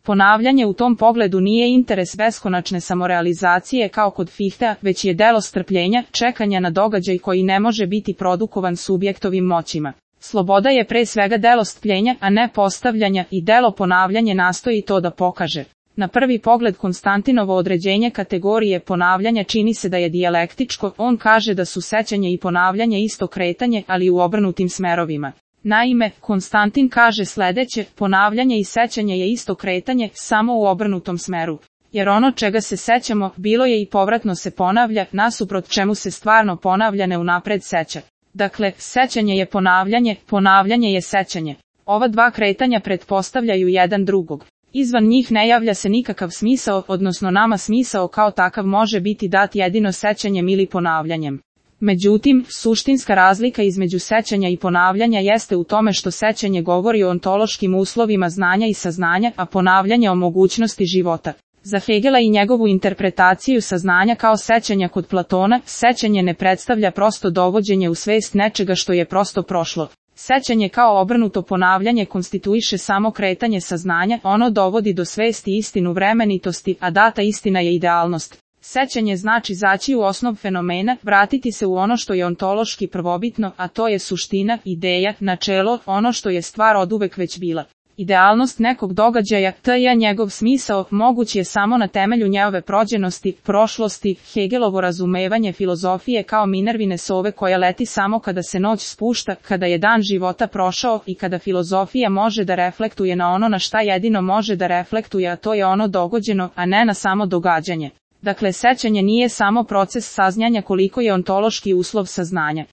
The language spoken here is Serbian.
Ponavljanje u tom pogledu nije interes beskonačne samorealizacije kao kod Fichtea, već je delo strpljenja, čekanja na događaj koji ne može biti produkovan subjektovim moćima. Sloboda je pre svega delo strpljenja, a ne postavljanja, i delo ponavljanje nastoji to da pokaže. Na prvi pogled Konstantinovo određenje kategorije ponavljanja čini se da je dijalektičko, on kaže da su sećanje i ponavljanje isto kretanje, ali u obrnutim smerovima. Naime, Konstantin kaže sledeće, ponavljanje i sećanje je isto kretanje, samo u obrnutom smeru. Jer ono čega se sećamo, bilo je i povratno se ponavlja, nasuprot čemu se stvarno ponavlja ne unapred seća. Dakle, sećanje je ponavljanje, ponavljanje je sećanje. Ova dva kretanja pretpostavljaju jedan drugog. Izvan njih ne javlja se nikakav smisao, odnosno nama smisao kao takav može biti dat jedino sećanjem ili ponavljanjem. Međutim, suštinska razlika između sećanja i ponavljanja jeste u tome što sećanje govori o ontološkim uslovima znanja i saznanja, a ponavljanje o mogućnosti života. Za Hegela i njegovu interpretaciju saznanja kao sećanja kod Platona, sećanje ne predstavlja prosto dovođenje u svest nečega što je prosto prošlo. Sećanje kao obrnuto ponavljanje konstituiše samo kretanje saznanja, ono dovodi do svesti istinu vremenitosti, a data istina je idealnost. Sećanje znači zaći u osnov fenomena, vratiti se u ono što je ontološki prvobitno, a to je suština, ideja, načelo, ono što je stvar oduvek već bila. Idealnost nekog događaja, t.j. njegov smisao, moguć je samo na temelju njegove prođenosti, prošlosti. Hegelovo razumevanje filozofije kao Minervine sove koja leti samo kada se noć spušta, kada je dan života prošao i kada filozofija može da reflektuje na ono na šta jedino može da reflektuje, a to je ono dogođeno, a ne na samo događanje. Dakle, sećanje nije samo proces saznanja koliko je ontološki uslov saznanja.